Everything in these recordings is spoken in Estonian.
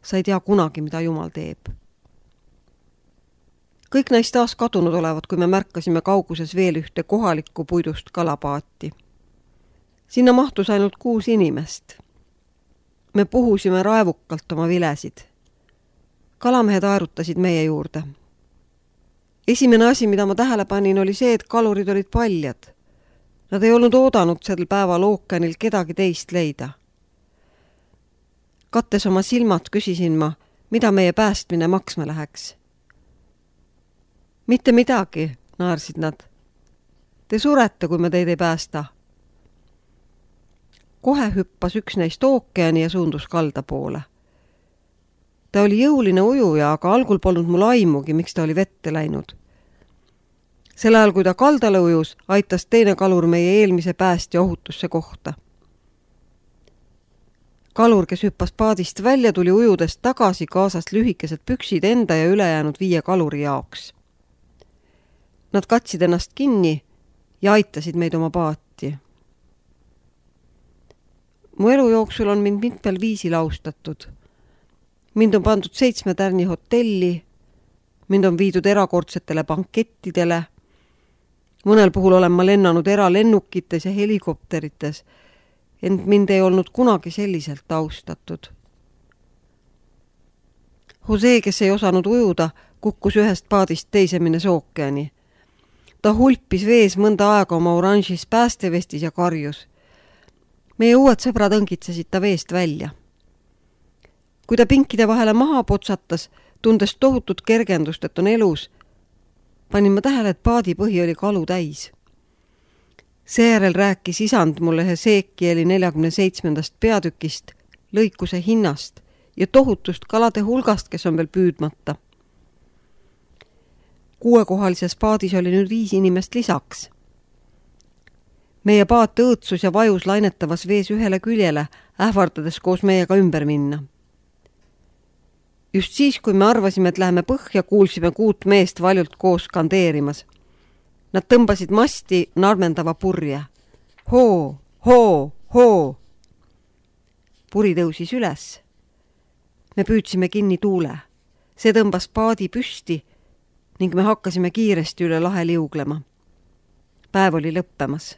sa ei tea kunagi, mida Jumal teeb. Kõik neist taas kadunud olevat, kui me märkasime kauguses veel ühte kohalikku puidust kalapaati. Sinna mahtus ainult 6 inimest. Me puhusime raevukalt oma vilesid. Kalamehed aerutasid meie juurde. Esimene asi, mida ma tähele panin, oli see, et kalurid olid paljad. Nad ei olnud oodanud sel päeval ookeanil kedagi teist leida. Kattes oma silmad küsisin ma, mida meie päästmine maksma läheks. Mitte midagi, naersid nad. Te surete, kui me teid ei päästa. Kohe hüppas üks neist ookeani ja suundus kalda poole. Ta oli jõuline ujuja, aga algul polnud mul aimugi, miks ta oli vette läinud. Sel ajal, kui ta kaldale ujus, aitas teine kalur meie eelmise päästja ohutusse kohta. Kalur, kes hüppas paadist välja, tuli ujudest tagasi, kaasas lühikesed püksid enda ja ülejäänud 5 kaluri jaoks. Nad katsid ennast kinni ja aitasid meid oma paati. Mu elu jooksul on mind mitmel viisil austatud. Mind on pandud 7 tärni hotelli, mind on viidud erakordsetele bankettidele, mõnel puhul olen ma lennanud eralennukites ja helikopterites, ent mind ei olnud kunagi selliselt austatud. Jose, kes ei osanud ujuda, kukkus ühest paadist teise minnes ookeani. Ta hulpis vees mõnda aega oma oranžis päästevestis ja karjus. Meie uued sõbrad õngitsesid ta veest välja. Kui ta pinkide vahele maha potsatas, tundes tohutut kergendust, et on elus, panin ma tähele, et paadi põhi oli kalu täis. Seejärel rääkis isand mulle Hesekieli 47. peatükist, lõikuse hinnast ja tohutust kalade hulgast, kes on veel püüdmata. 6-kohalises paadis oli nüüd 5 inimest lisaks. Meie paat õõtsus ja vajus lainetavas vees ühele küljele, ähvardades koos meiega ümber minna. Just siis, kui me arvasime, et läheme põhja, kuulsime 6 meest valjult koos skandeerimas. Nad tõmbasid masti narmendava purje. Hoo, hoo, hoo! Puri tõusis üles. Me püüdsime kinni tuule. See tõmbas paadi püsti ning me hakkasime kiiresti üle lahe liuglema. Päev oli lõppemas.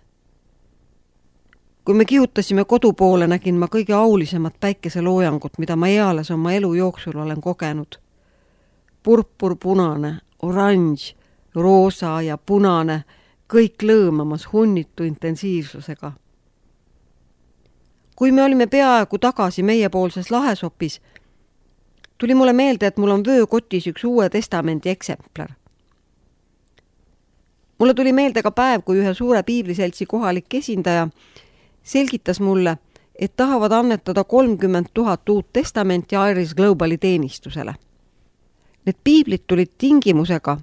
Kui me kihutasime kodu poole, nägin ma kõige aulisemat päikeseloojangut, mida ma eales oma elu jooksul olen kogenud. Purpur, punane, oranž, roosa ja punane, kõik lõõmamas hunnitu intensiivsusega. Kui me olime peaaegu tagasi meiepoolses lahesopis, tuli mulle meelde, et mul on vöökotis üks Uue Testamendi eksemplar. Mulle tuli meelde ka päev, kui ühe suure piibliseltsi kohalik esindaja selgitas mulle, et tahavad annetada 30 000 Uut Testamenti Iris Globali teenistusele. Need piiblid tulid tingimusega.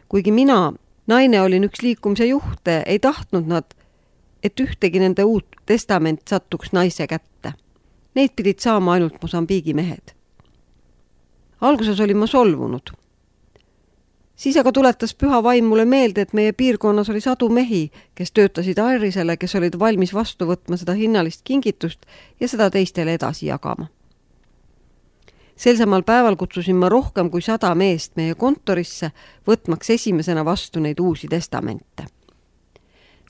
Kuigi mina, naine, olin üks liikumise juhte, ei tahtnud nad, et ühtegi nende Uut Testament sattuks naise kätte. Neid pidid saama ainult Mosambiigi mehed. Alguses olin ma solvunud. Siis aga tuletas püha vaim mulle meelde, et meie piirkonnas oli sadu mehi, kes töötasid Irisele, kes olid valmis vastu võtma seda hinnalist kingitust ja seda teistele edasi jagama. Sel samal päeval kutsusin ma rohkem kui 100 meest meie kontorisse, võtmaks esimesena vastu neid uusi testamente.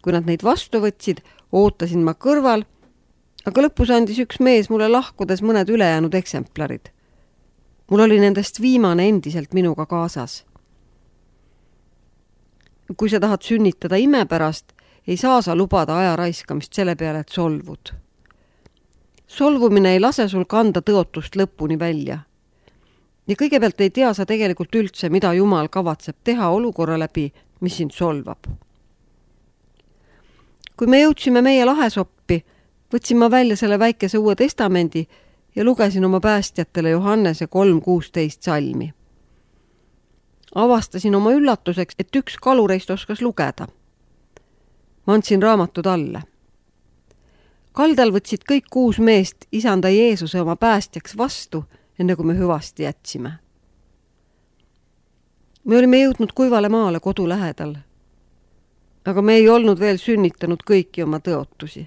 Kui nad neid vastu võtsid, ootasin ma kõrval, aga lõpus andis üks mees mulle lahkudes mõned ülejäänud eksemplarid. Mul oli nendest viimane endiselt minuga kaasas. Kui sa tahad sünnitada ime pärast, ei saa sa lubada aja raiskamist selle peale, et solvud. Solvumine ei lase sul kanda tõotust lõpuni välja. Ja kõigepealt ei tea sa tegelikult üldse, mida Jumal kavatseb teha olukorra läbi, mis sind solvab. Kui me jõudsime meie lahesoppi, võtsin ma välja selle väikese Uue Testamendi ja lugesin oma päästjatele Johannese 3:16 salmi. Avastasin oma üllatuseks, et üks kalureist oskas lugeda. Ma andsin raamatud alla. Kaldal võtsid kõik 6 meest isanda Jeesuse oma päästjaks vastu, enne kui me hüvasti jätsime. Me olime jõudnud kuivale maale kodu lähedal, aga me ei olnud veel sünnitanud kõiki oma tõotusi.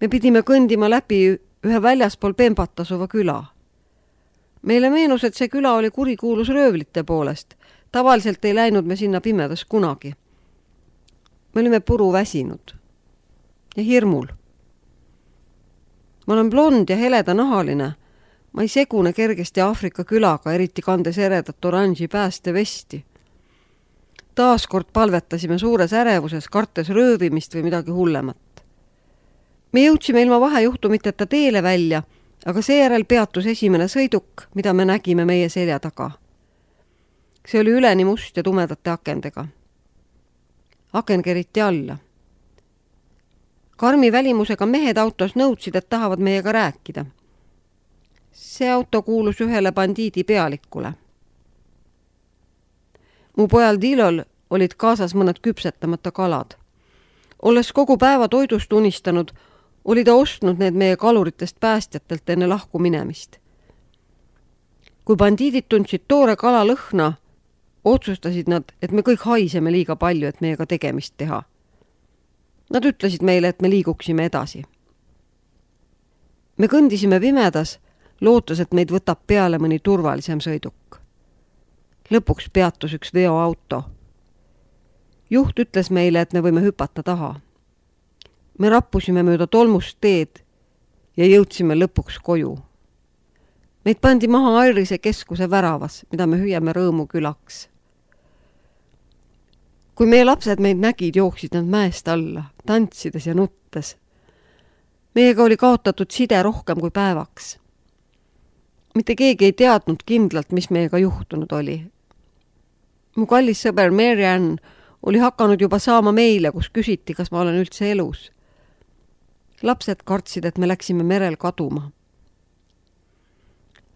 Me pidime kõndima läbi ühe väljaspool Pembat asuva küla. Meile meenus, et see küla oli kurikuulus röövlite poolest. Tavaliselt ei läinud me sinna pimedas kunagi. Me olime puru väsinud ja hirmul. Ma olen blond ja heleda-nahaline. Ma ei segune kergesti Aafrika külaga, eriti kandes eredat oranži päästevesti. Taaskord palvetasime suures ärevuses, kartes röövimist või midagi hullemat. Me jõudsime ilma vahejuhtumiteta teele välja, aga seejärel peatus esimene sõiduk, mida me nägime meie selja taga. See oli üleni must ja tumedate akendega. Aken keriti alla. Karmi välimusega mehed autos nõudsid, et tahavad meiega rääkida. See auto kuulus ühele bandiidi pealikule. Mu pojal Dilol olid kaasas mõned küpsetamata kalad. Olles kogu päeva toidust unistanud, oli ta ostnud need meie kaluritest päästjatelt enne lahku minemist. Kui bandiidid tundsid toore kala lõhna, otsustasid nad, et me kõik haiseme liiga palju, et meiega tegemist teha. Nad ütlesid meile, et me liiguksime edasi. Me kõndisime pimedas, lootes, et meid võtab peale mõni turvalisem sõiduk. Lõpuks peatus üks veoauto. Juht ütles meile, et me võime hüpata taha. Me rappusime mööda tolmust teed ja jõudsime lõpuks koju. Meid pandi maha Airise keskuse väravas, mida me hüüame Rõõmu külaks. Kui meie lapsed meid nägid, jooksid nad mäest alla, tantsides ja nuttes. Meiega oli kaotatud side rohkem kui päevaks. Mitte keegi ei teadnud kindlalt, mis meiega juhtunud oli. Mu kallis sõber Mary Ann oli hakanud juba saama meile, kus küsiti, kas ma olen üldse elus. Lapsed kartsid, et me läksime merel kaduma.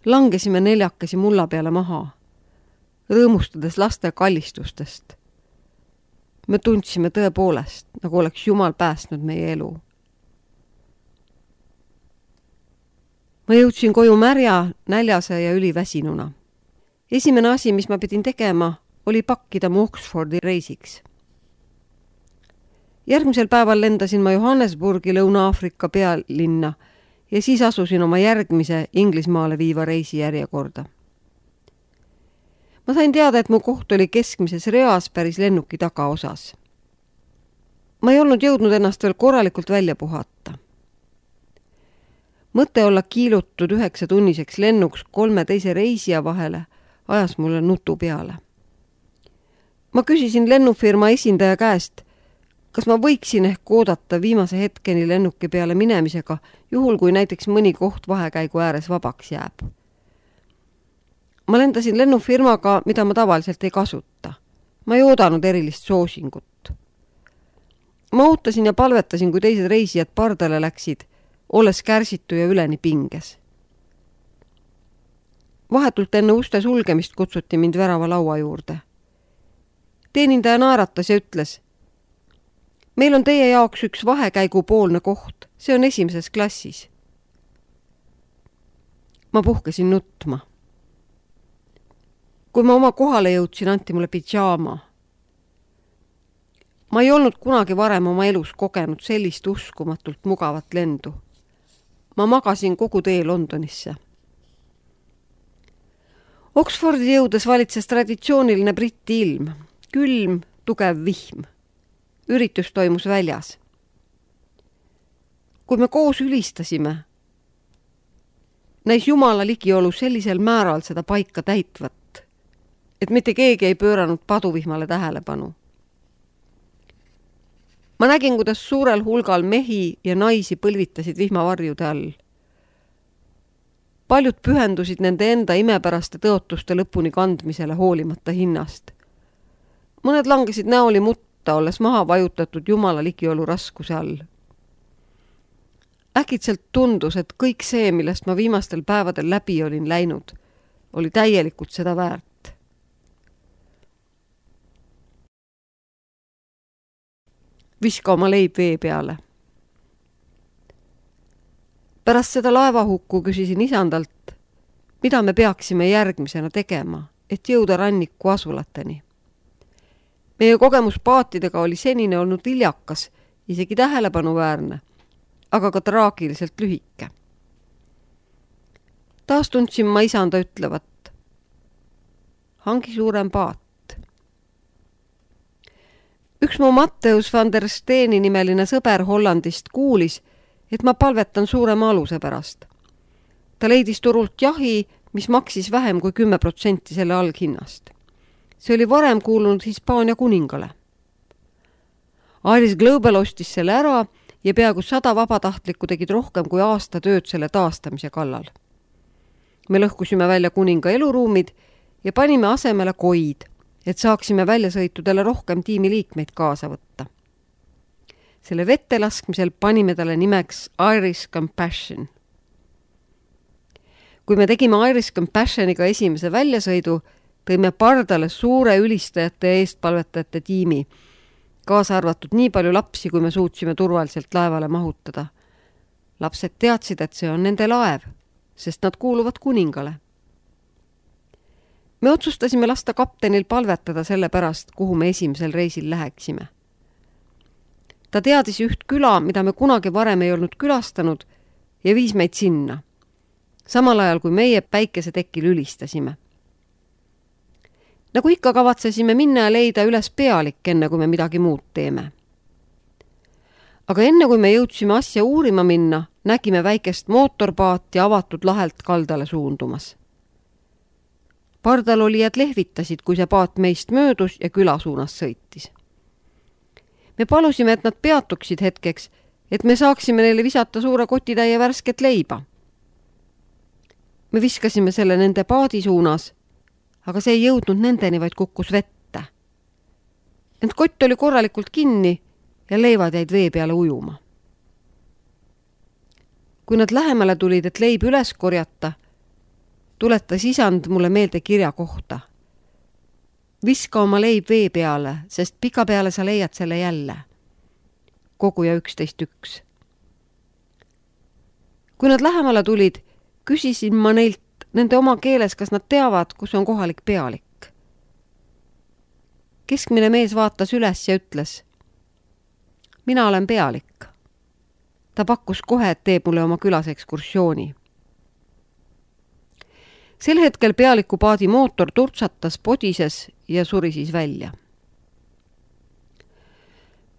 Langesime neljakesi mulla peale maha, rõõmustades laste kallistustest. Me tundsime tõepoolest, nagu oleks Jumal päästnud meie elu. Ma jõudsin koju märja, näljase ja üliväsinuna. Esimene asi, mis ma pidin tegema, oli pakkida mu Oxfordi reisiks. Järgmisel päeval lendasin ma Johannesburgi Lõuna-Aafrika pealinna ja siis asusin oma järgmise Inglismaale viiva reisi järjekorda. Ma sain teada, et mu koht oli keskmises reas päris lennuki tagaosas. Ma ei olnud jõudnud ennast veel korralikult välja puhata. Mõte olla kiilutud 9-tunniseks lennuks 3 teise reisija vahele ajas mulle nutu peale. Ma küsisin lennufirma esindaja käest, kas ma võiksin ehk oodata viimase hetkeni lennuki peale minemisega, juhul kui näiteks mõni koht vahekäigu ääres vabaks jääb. Ma lendasin lennufirmaga, mida ma tavaliselt ei kasuta. Ma ei oodanud erilist soosingut. Ma ootasin ja palvetasin, kui teised reisijad pardale läksid, olles kärsitu ja üleni pinges. Vahetult enne uste sulgemist kutsuti mind värava laua juurde. Teenindaja naeratas ja ütles, meil on teie jaoks üks vahekäigu poolne koht, see on esimeses klassis. Ma puhkesin nutma. Kui ma oma kohale jõudsin, anti mulle pidžaama. Ma ei olnud kunagi varem oma elus kogenud sellist uskumatult mugavat lendu. Ma magasin kogu tee Londonisse. Oxfordi jõudes valitses traditsiooniline Briti ilm, külm, tugev vihm. Üritus toimus väljas. Kui me koos ülistasime, näis Jumala ligiolu sellisel määral seda paika täitvat, et mitte keegi ei pööranud paduvihmale tähelepanu. Ma nägin, kuidas suurel hulgal mehi ja naisi põlvitasid vihmavarjude all. Paljud pühendusid nende enda imepäraste tõotuste lõpuni kandmisele hoolimata hinnast. Mõned langesid näoli mutta, olles maha vajutatud Jumala ligiolu raskuse all. Äkitselt tundus, et kõik see, millest ma viimastel päevadel läbi olin läinud, oli täielikult seda väärt. Viska oma leib vee peale. Pärast seda laevahukku küsisin isandalt, mida me peaksime järgmisena tegema, et jõuda ranniku asulateni. Meie kogemus paatidega oli senine olnud viljakas, isegi tähelepanuväärne, aga ka traagiliselt lühike. taas tundsin ma isanda ütlevat: hangi suurem paat. Üks mu Matteus van der Steeni nimeline sõber Hollandist kuulis, et ma palvetan suurema aluse pärast. Ta leidis turult jahi, mis maksis vähem kui 10% selle alghinnast. See oli varem kuulunud Hispaania kuningale. Iris Global ostis selle ära ja peaaegu 100 vabatahtlikku tegid rohkem kui aasta tööd selle taastamise kallal. Me lõhkusime välja kuninga eluruumid ja panime asemele koid, et saaksime väljasõitudele rohkem tiimiliikmeid kaasa võtta. Selle vette laskmisel panime talle nimeks Irish Compassion. Kui me tegime Irish Compassioniga esimese väljasõidu, tõime pardale suure ülistajate ja eestpalvetajate tiimi, kaasa arvatud nii palju lapsi, kui me suutsime turvaliselt laevale mahutada. Lapsed teadsid, et see on nende laev, sest nad kuuluvad kuningale. Me otsustasime lasta kaptenil palvetada selle pärast, kuhu me esimesel reisil läheksime. Ta teadis üht küla, mida me kunagi varem ei olnud külastanud, ja viis meid sinna, samal ajal kui meie päikesetekil ülistasime. Nagu ikka kavatsesime minna ja leida üles pealik, enne kui me midagi muud teeme. Aga enne kui me jõudsime asja uurima minna, nägime väikest mootorpaati avatud lahelt kaldale suundumas. Pardal olijad lehvitasid, kui see paat meist möödus ja küla suunas sõitis. Me palusime, et nad peatuksid hetkeks, et me saaksime neile visata suure kotitäie värsket leiba. Me viskasime selle nende paadi suunas, aga see ei jõudnud nendeni, vaid kukkus vette. Ent kott oli korralikult kinni ja leivad jäid vee peale ujuma. Kui nad lähemale tulid, et leib üles korjata, tuletas isand mulle meelde kirja kohta. Viska oma leib vee peale, sest pika peale sa leiad selle jälle. Koguja 11.1. Kui nad lähemale tulid, küsisin ma neilt nende oma keeles, kas nad teavad, kus on kohalik pealik. Keskmine mees vaatas üles ja ütles: mina olen pealik. Ta pakkus kohe, et teeb mulle oma külas ekskursiooni. Sel hetkel pealiku paadi mootor turtsatas, podises ja suri siis välja.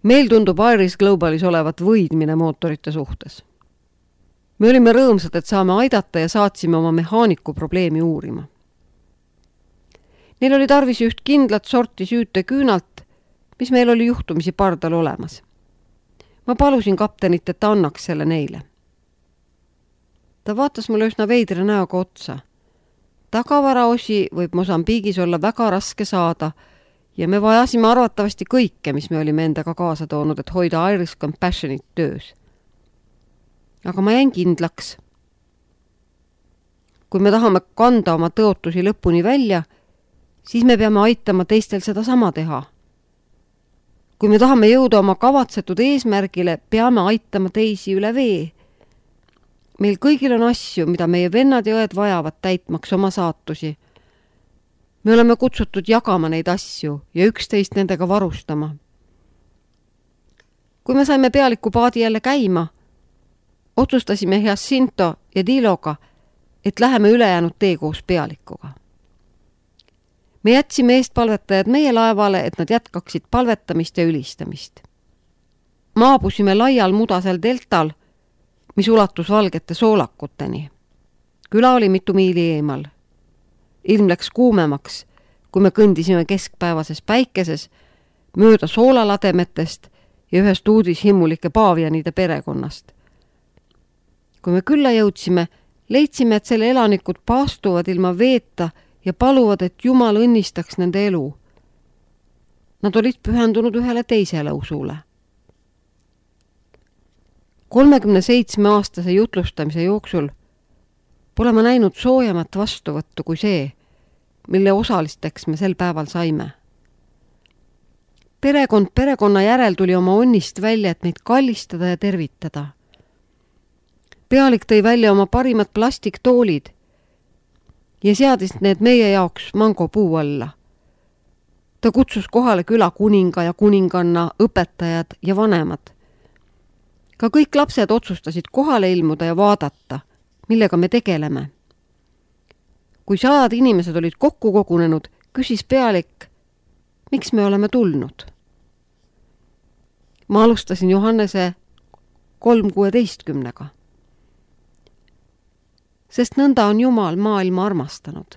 Meil tundub Irish Globalis olevat võidmine mootorite suhtes. Me olime rõõmsad, et saame aidata ja saatsime oma mehaaniku probleemi uurima. Neil oli tarvis üht kindlat sorti süüteküünalt, mis meil oli juhtumisi pardal olemas. Ma palusin kaptenit, et ta annaks selle neile. Ta vaatas mulle üsna veidra näoga otsa. Tagavaraosi võib Mosambiigis olla väga raske saada ja me vajasime arvatavasti kõike, mis me olime endaga kaasa toonud, et hoida Irish Compassionit töös. Aga ma jäin kindlaks. Kui me tahame kanda oma tõotusi lõpuni välja, siis me peame aitama teistel seda sama teha. Kui me tahame jõuda oma kavatsetud eesmärgile, peame aitama teisi üle vee. Meil kõigil on asju, mida meie vennad ja õed vajavad täitmaks oma saatusi. Me oleme kutsutud jagama neid asju ja üksteist nendega varustama. Kui me saime pealiku paadi jälle käima, otsustasime Jacinto ja Diloga, et läheme ülejäänud tee koos pealikuga. Me jätsime eestpalvetajad meie laevale, et nad jätkaksid palvetamist ja ülistamist. Maabusime laial mudasel deltal, mis ulatus valgete soolakuteni. Küla oli mitu miili eemal. Ilm läks kuumemaks, kui me kõndisime keskpäevases päikeses, mööda soolalademetest ja ühest uudishimmulike paavianide perekonnast. Kui me külla jõudsime, leidsime, et selle elanikud paastuvad ilma veeta ja paluvad, et Jumal õnnistaks nende elu. Nad olid pühendunud ühele teisele usule. 37-aastase jutlustamise jooksul pole ma näinud soojemat vastuvõttu kui see, mille osalisteks me sel päeval saime. Perekond perekonna järel tuli oma onnist välja, et meid kallistada ja tervitada. Pealik tõi välja oma parimad plastiktoolid ja seadis need meie jaoks mangopuu alla. Ta kutsus kohale küla kuninga ja kuninganna, õpetajad ja vanemad. Ka kõik lapsed otsustasid kohale ilmuda ja vaadata, millega me tegeleme. kui 100 inimesed olid kokku kogunenud, küsis pealik, miks me oleme tulnud. Ma alustasin Johannese 3:16. Sest nõnda on Jumal maailma armastanud,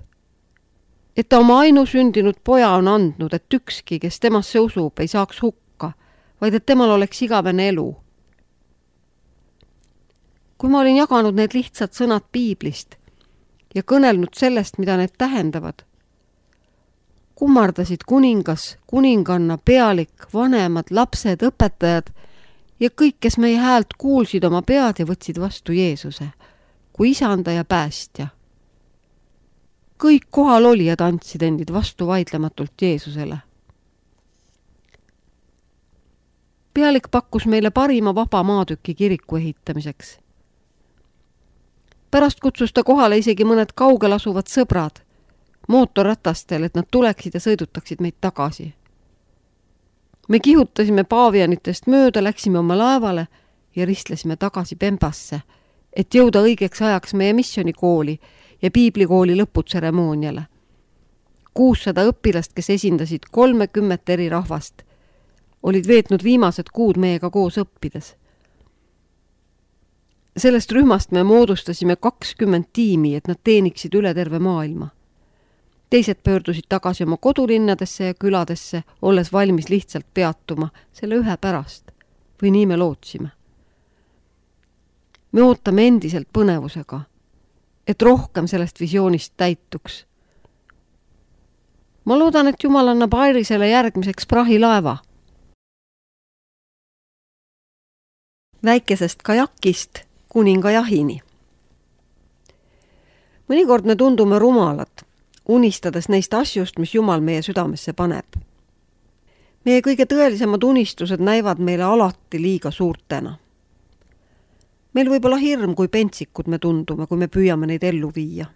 et ta oma ainusündinud poja on andnud, et ükski, kes temasse usub, ei saaks hukka, vaid et temal oleks igavene elu. Kui ma olin jaganud need lihtsad sõnad piiblist ja kõnelnud sellest, mida need tähendavad, kummardasid kuningas, kuninganna, pealik, vanemad, lapsed, õpetajad ja kõik, kes meie häält kuulsid oma pead ja võtsid vastu Jeesuse kui isanda ja päästja. Kõik kohal olijad andsid endid vastu vaidlematult Jeesusele. Pealik pakkus meile parima vaba maatüki kiriku ehitamiseks. Pärast kutsus ta kohale isegi mõned kaugel asuvad sõbrad mootorratastel, et nad tuleksid ja sõidutaksid meid tagasi. Me kihutasime paavianitest mööda, läksime oma laevale ja ristlesime tagasi Pembasse, et jõuda õigeks ajaks meie missionikooli ja piiblikooli lõputseremooniale. 600 õpilast, kes esindasid 30 eri rahvast, olid veetnud viimased kuud meiega koos õppides. Sellest rühmast me moodustasime 20 tiimi, et nad teeniksid üle terve maailma. Teised pöördusid tagasi oma kodulinnadesse ja küladesse, olles valmis lihtsalt peatuma selle ühe pärast. Või nii me lootsime. Me ootame endiselt põnevusega, et rohkem sellest visioonist täituks. Ma loodan, et Jumal annab Airisele järgmiseks prahilaeva. Väikesest kajakist kuninga jahini. Mõnikord me tundume rumalad, unistades neist asjust, mis Jumal meie südamesse paneb. Meie kõige tõelisemad unistused näivad meile alati liiga suurtena. Meil võib olla hirm, kui pentsikud me tundume, kui me püüame neid ellu viia.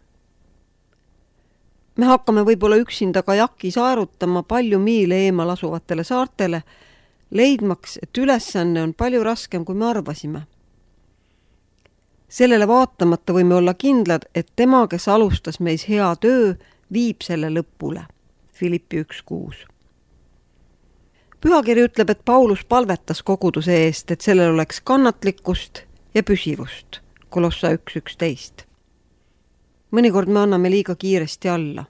Me hakkame võib-olla üksinda kajakis aerutama palju miile eemal asuvatele saartele, leidmaks, et ülesanne on palju raskem, kui me arvasime. Sellele vaatamata võime olla kindlad, et tema, kes alustas meis hea töö, viib selle lõpule. Filippi 1:6. Pühakiri ütleb, et Paulus palvetas koguduse eest, et sellel oleks kannatlikkust ja püsivust. Kolossa 1:11. Mõnikord me anname liiga kiiresti alla.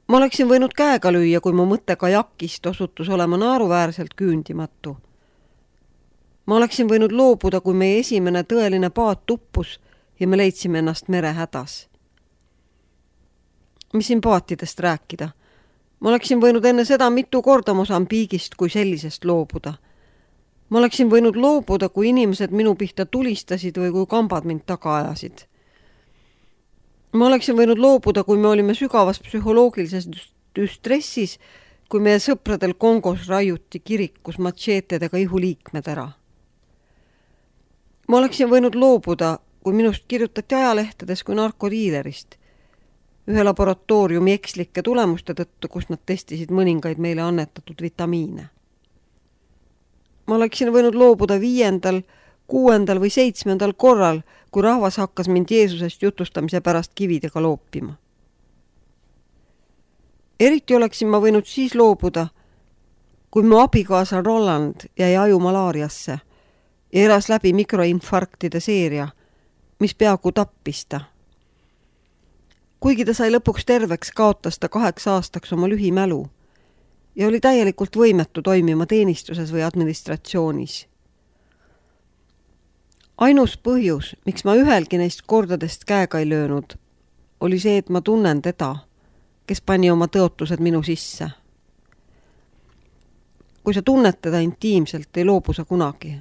Ma oleksin võinud käega lüüa, kui mu mõte kajakist osutus olema naeruväärselt küündimatu. Ma oleksin võinud loobuda, kui meie esimene tõeline paat uppus ja me leidsime ennast merehädas. Mis siin paatidest rääkida? Ma oleksin võinud enne seda mitu korda Mosambiigist kui sellisest loobuda. Ma oleksin võinud loobuda, kui inimesed minu pihta tulistasid või kui kambad mind taga ajasid. Ma oleksin võinud loobuda, kui me olime sügavas psühholoogilises stressis, kui meie sõpradel Kongos raiuti kirikus matšeetedega ihuliikmed ära. Ma oleksin võinud loobuda, kui minust kirjutati ajalehtedes kui narkodiilerist, ühe laboratooriumi ekslike tulemuste tõttu, kus nad testisid mõningaid meile annetatud vitamiine. Ma oleksin võinud loobuda 5., 6. või 7. korral, kui rahvas hakkas mind Jeesusest jutustamise pärast kividega loopima. Eriti oleksin ma võinud siis loobuda, kui mu abikaasa Roland jäi ajumalaariasse ja elas läbi mikroinfarktide seeria, mis peaaegu tappis ta. Kuigi ta sai lõpuks terveks, kaotas ta 8 aastaks oma lühimälu ja oli täielikult võimetu toimima teenistuses või administratsioonis. Ainus põhjus, miks ma ühelgi neist kordadest käega ei löönud, oli see, et ma tunnen teda, kes pani oma tõotused minu sisse. Kui sa tunned teda intiimselt, ei loobu sa kunagi,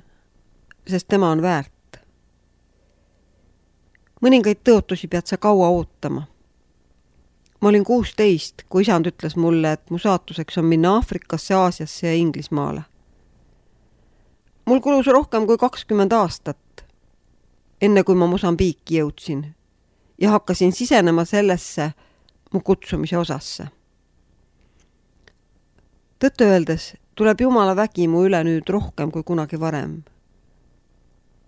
sest tema on väärt. Mõningaid tõotusi pead sa kaua ootama. Ma olin 16, kui isand ütles mulle, et mu saatuseks on minna Aafrikasse, Aasiasse ja Inglismaale. Mul kulus rohkem kui 20 aastat, enne kui ma Mosambiiki jõudsin ja hakkasin sisenema sellesse mu kutsumise osasse. Tõtt öeldes tuleb Jumala vägi mu üle nüüd rohkem kui kunagi varem.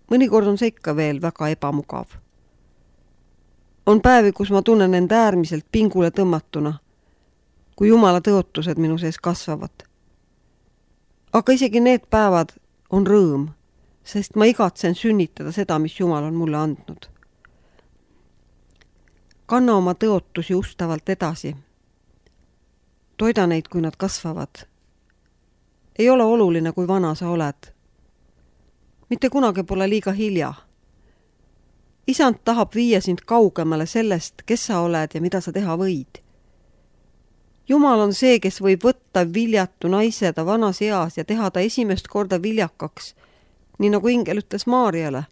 Mõnikord on see ikka veel väga ebamugav. On päevi, kus ma tunnen end äärmiselt pingule tõmmatuna, kui Jumala tõotused minu sees kasvavad. Aga isegi need päevad on rõõm, sest ma igatsen sünnitada seda, mis Jumal on mulle andnud. Kanna oma tõotusi ustavalt edasi. Toida neid, kui nad kasvavad. Ei ole oluline, kui vana sa oled. Mitte kunagi pole liiga hilja. Isand tahab viia sind kaugemale sellest, kes sa oled ja mida sa teha võid. Jumal on see, kes võib võtta viljatu naise ta vanas eas ja teha ta esimest korda viljakaks, nii nagu ingel ütles Maarjale.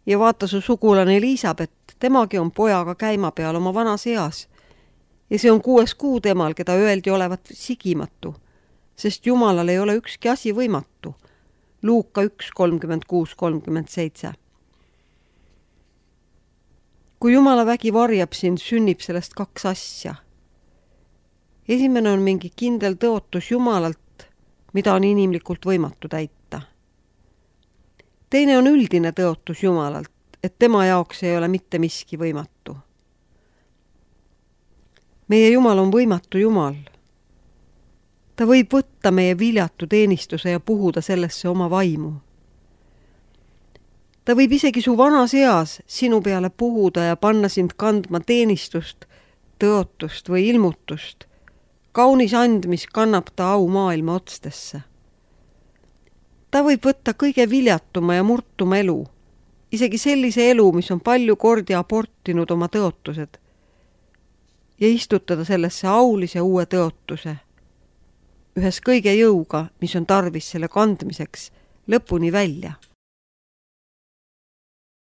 Ja vaata su sugulane Elisabeth, temagi on pojaga käima peal oma vanas eas. Ja see on 6. kuu temal, keda öeldi olevat sigimatu, sest Jumalal ei ole ükski asi võimatu. Luuka 1:36-37. Kui Jumala vägi varjab sind, sünnib sellest 2 asja. Esimene on mingi kindel tõotus Jumalalt, mida on inimlikult võimatu täita. Teine on üldine tõotus Jumalalt, et tema jaoks ei ole mitte miski võimatu. Meie Jumal on võimatu Jumal. Ta võib võtta meie viljatu teenistuse ja puhuda sellesse oma vaimu. Ta võib isegi su vanas eas sinu peale puhuda ja panna sind kandma teenistust, tõotust või ilmutust. Kaunis and, mis kannab ta au maailma otstesse. Ta võib võtta kõige viljatuma ja murtuma elu, isegi sellise elu, mis on palju kordi abortinud oma tõotused, ja istutada sellesse aulise uue tõotuse, ühes kõige jõuga, mis on tarvis selle kandmiseks lõpuni välja.